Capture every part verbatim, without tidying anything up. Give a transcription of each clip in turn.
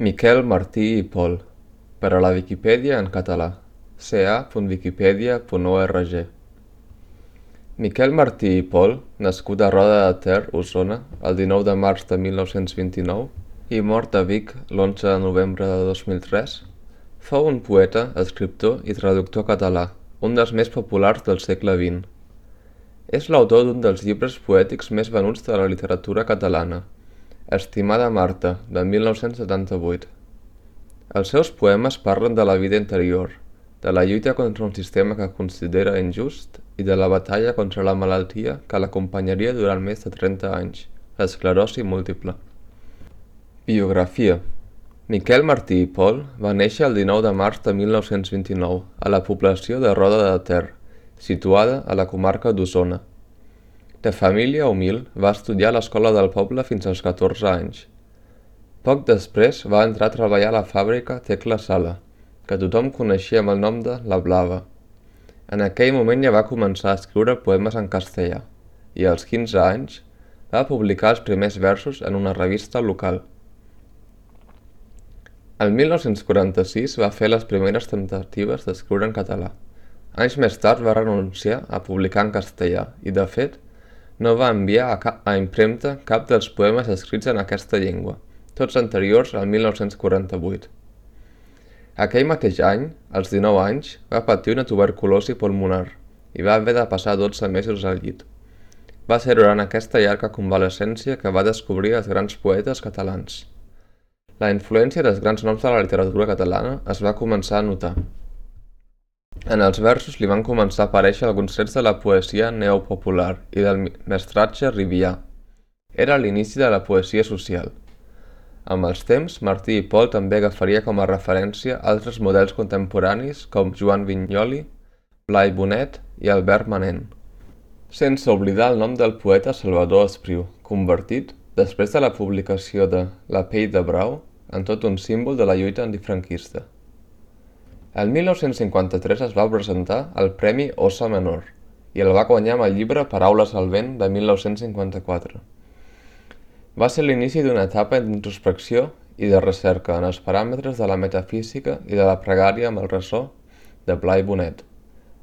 Miquel Martí i Pol, per a la Viquipèdia en català, ca punt wikipedia punt org. Miquel Martí i Pol, nascut a Roda de Ter, Osona, el dinou de març de mil nou-cents vint-i-nou i mort a Vic l'onze de novembre de dos mil tres, fou un poeta, escriptor i traductor català, un dels més populars del segle vint. És l'autor d'un dels llibres poètics més venuts de la literatura catalana, Estimada Marta, de mil nou-cents setanta-vuit. Els seus poemes parlen de la vida interior, de la lluita contra un sistema que considera injust i de la batalla contra la malaltia que l'acompanyaria durant més de trenta anys, l'esclerosi múltiple. Biografia. Miquel Martí i Pol va néixer el dinou de març de mil nou-cents vint-i-nou a la població de Roda de Ter, situada a la comarca d'Osona. De família humil, va estudiar a l'escola del poble fins als catorze anys. Poc després va entrar a treballar a la fàbrica Tecla Sala, que tothom coneixia amb el nom de La Blava. En aquell moment ja va començar a escriure poemes en castellà i als quinze anys va publicar els primers versos en una revista local. El mil nou-cents quaranta-sis va fer les primeres temptatives d'escriure en català. Anys més tard va renunciar a publicar en castellà i, de fet, no va enviar a, cap, a impremta cap dels poemes escrits en aquesta llengua, tots anteriors al mil nou-cents quaranta-vuit. Aquell mateix any, als dinou anys, va patir una tuberculosi pulmonar i va haver de passar dotze mesos al llit. Va ser durant aquesta llarga convalescència que va descobrir els grans poetes catalans. La influència dels grans noms de la literatura catalana es va començar a notar. En els versos li van començar a aparèixer alguns trets de la poesia neopopular i del mestratge rivià. Era l'inici de la poesia social. Amb els temps, Martí i Pol també agafaria com a referència altres models contemporanis com Joan Vinyoli, Blai Bonet i Albert Manent. Sense oblidar el nom del poeta Salvador Espriu, convertit, després de la publicació de La pell de brau, en tot un símbol de la lluita antifranquista. El mil nou-cents cinquanta-tres es va presentar el Premi Óssa Menor i el va guanyar amb el llibre Paraules al vent de mil nou-cents cinquanta-quatre. Va ser l'inici d'una etapa d'introspecció i de recerca en els paràmetres de la metafísica i de la pregària amb el ressò de Blai Bonet.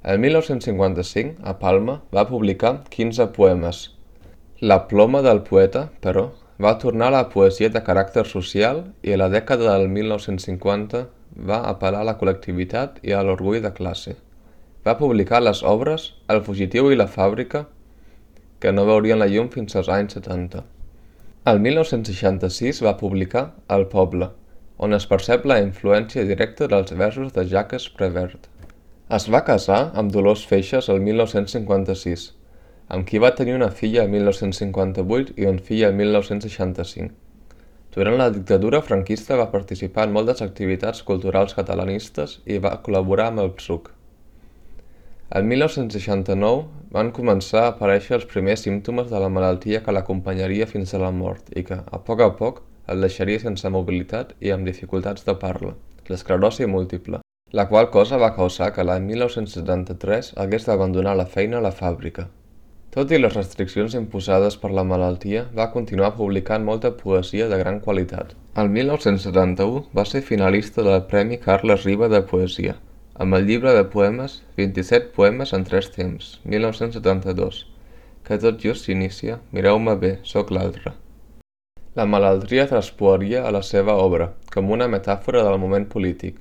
El mil nou-cents cinquanta-cinc, a Palma, va publicar quinze poemes. La ploma del poeta, però, va tornar a la poesia de caràcter social i a la dècada del mil nou-cents cinquanta va apel·lar a la col·lectivitat i a l'orgull de classe. Va publicar les obres El fugitiu i la fàbrica, que no veurien la llum fins als anys setanta. El mil nou-cents seixanta-sis va publicar El poble, on es percep la influència directa dels versos de Jacques Prévert. Es va casar amb Dolors Feixes el mil nou-cents cinquanta-sis, amb qui va tenir una filla el mil nou-cents cinquanta-vuit i un fill el mil nou-cents seixanta-cinc. Durant la dictadura franquista va participar en moltes activitats culturals catalanistes i va col·laborar amb el P S U C. El mil nou-cents seixanta-nou van començar a aparèixer els primers símptomes de la malaltia que l'acompanyaria fins a la mort i que, a poc a poc, el deixaria sense mobilitat i amb dificultats de parla, l'esclerosi múltiple, la qual cosa va causar que l'any mil nou-cents setanta-tres hagués d'abandonar la feina a la fàbrica. Tot i les restriccions imposades per la malaltia, va continuar publicant molta poesia de gran qualitat. El mil nou-cents setanta-u va ser finalista del Premi Carles Riba de Poesia, amb el llibre de poemes vint-i-set poemes en tres temps, mil nou-cents setanta-dos, que tot just s'inicia Mireu-me bé, sóc l'altre. La malaltia traspuaria a la seva obra, com una metàfora del moment polític.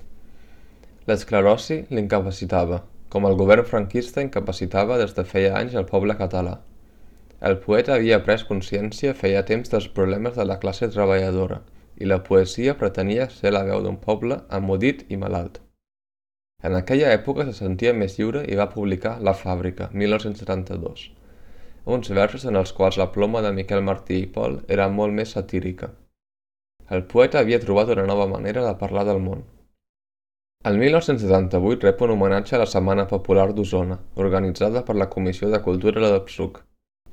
L'esclerosi l'incapacitava, com el govern franquista incapacitava des de feia anys el poble català. El poeta havia pres consciència feia temps dels problemes de la classe treballadora i la poesia pretenia ser la veu d'un poble emmudit i malalt. En aquella època se sentia més lliure i va publicar La fàbrica, mil nou-cents setanta-dos, uns versos en els quals la ploma de Miquel Martí i Pol era molt més satírica. El poeta havia trobat una nova manera de parlar del món. El mil nou-cents setanta-vuit rep un homenatge a la Setmana Popular d'Osona, organitzada per la Comissió de Cultura del P S U C,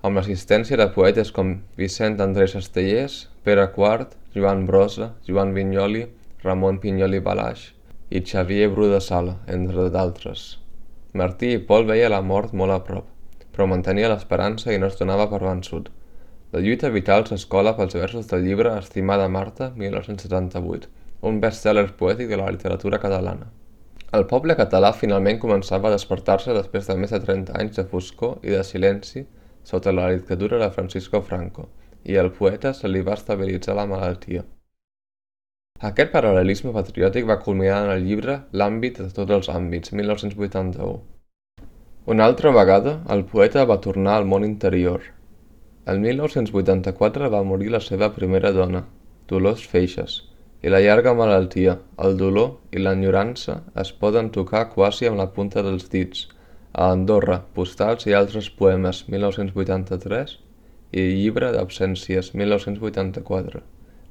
amb l'assistència de poetes com Vicent Andrés Estellers, Pere Quart, Joan Brossa, Joan Vinyoli, Ramon Pinyol i Balaix i Xavier Bru de Sala, entre d'altres. Martí i Pol veia la mort molt a prop, però mantenia l'esperança i no es donava per vençut. La lluita vital s'escola pels versos del llibre Estimada Marta, mil nou-cents setanta-vuit, un best-seller poètic de la literatura catalana. El poble català finalment començava a despertar-se després de més de trenta anys de foscor i de silenci sota la dictadura de Francisco Franco, i al poeta se li va estabilitzar la malaltia. Aquest paral·lelisme patriòtic va culminar en el llibre L'àmbit de tots els àmbits, mil nou-cents vuitanta-u. Una altra vegada, el poeta va tornar al món interior. El mil nou-cents vuitanta-quatre va morir la seva primera dona, Dolors Feixes, i la llarga malaltia, el dolor i l'enyorança es poden tocar quasi amb la punta dels dits, a Andorra, postals i altres poemes, mil nou-cents vuitanta-tres, i Llibre d'absències, mil nou-cents vuitanta-quatre,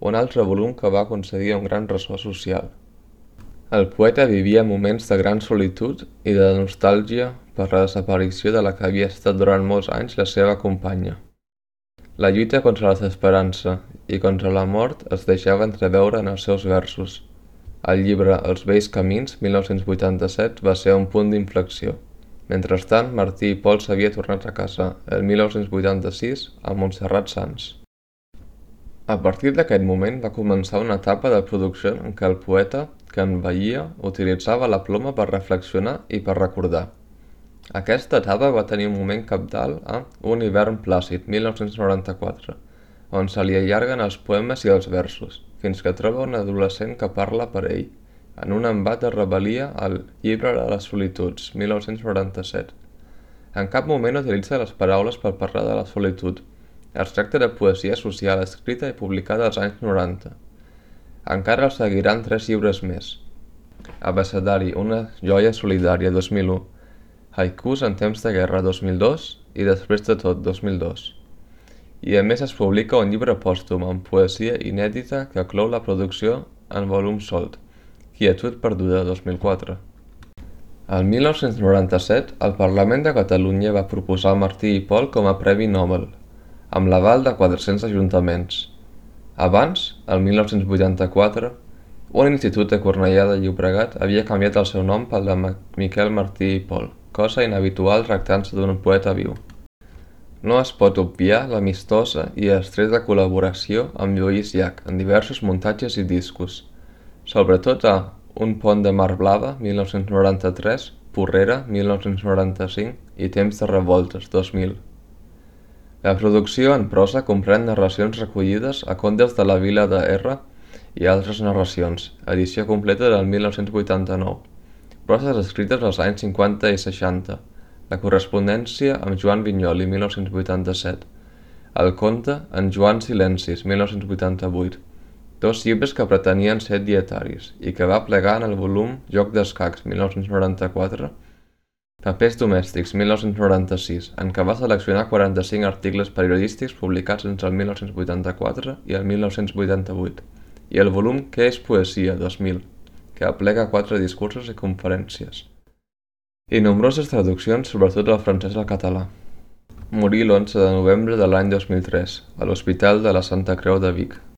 un altre volum que va aconseguir un gran ressò social. El poeta vivia moments de gran solitud i de nostàlgia per la desaparició de la que havia estat durant molts anys la seva companya. La lluita contra la desesperança i contra la mort es deixava entreveure en els seus versos. El llibre Els vells camins, mil nou-cents vuitanta-set, va ser un punt d'inflexió. Mentrestant, Martí i Pol s'havia tornat a casa el mil nou-cents vuitanta-sis a Montserrat Sans. A partir d'aquest moment va començar una etapa de producció en què el poeta, que envellia, utilitzava la ploma per reflexionar i per recordar. Aquesta etapa va tenir un moment cabdal a Un hivern plàcid, mil nou-cents noranta-quatre, on se li allarguen els poemes i els versos, fins que troba un adolescent que parla per ell, en un embat de rebel·lia al Llibre de les solituds, mil nou-cents noranta-set. En cap moment utilitza les paraules per parlar de la solitud. Es tracta de poesia social escrita i publicada als anys noranta. Encara el seguiran tres llibres més. Abecedari, una joia solidària, dos mil u. Haikus en temps de guerra, dos mil dos, i Després de tot, dos mil dos. I a més es publica un llibre pòstum amb poesia inèdita que clou la producció en volum solt, Quietud perduda, dos mil quatre. El mil nou-cents noranta-set, el Parlament de Catalunya va proposar Martí i Pol com a Premi Nobel, amb l'aval de quatre-cents ajuntaments. Abans, el mil nou-cents vuitanta-quatre, un institut de Cornellà de Llobregat havia canviat el seu nom pel de Miquel Martí i Pol, cosa inhabitual tractant-se d'un poeta viu. No es pot obviar l'amistosa i estreta col·laboració amb Lluís Llach en diversos muntatges i discos, sobretot a Un pont de mar blava, mil nou-cents noranta-tres, Porrera, mil nou-cents noranta-cinc i Temps de revoltes, dos mil. La producció en prosa comprèn narracions recollides a Contes de la Vila de R i altres narracions, edició completa del mil nou-cents vuitanta-nou. Proses escrites als anys cinquanta i seixanta, la correspondència amb Joan Vinyoli, mil nou-cents vuitanta-set, el conte en Joan Silencis, mil nou-cents vuitanta-vuit, dos llibres que pretenien ser dietaris i que va plegar en el volum Joc d'escacs, mil nou-cents noranta-quatre, Papers domèstics, mil nou-cents noranta-sis, en què va seleccionar quaranta-cinc articles periodístics publicats entre el mil nou-cents vuitanta-quatre i el mil nou-cents vuitanta-vuit, i el volum Què és poesia, dos mil, que aplega quatre discursos i conferències, i nombroses traduccions, sobretot del francès al català. Morí l'onze de novembre de l'any dos mil tres, a l'Hospital de la Santa Creu de Vic.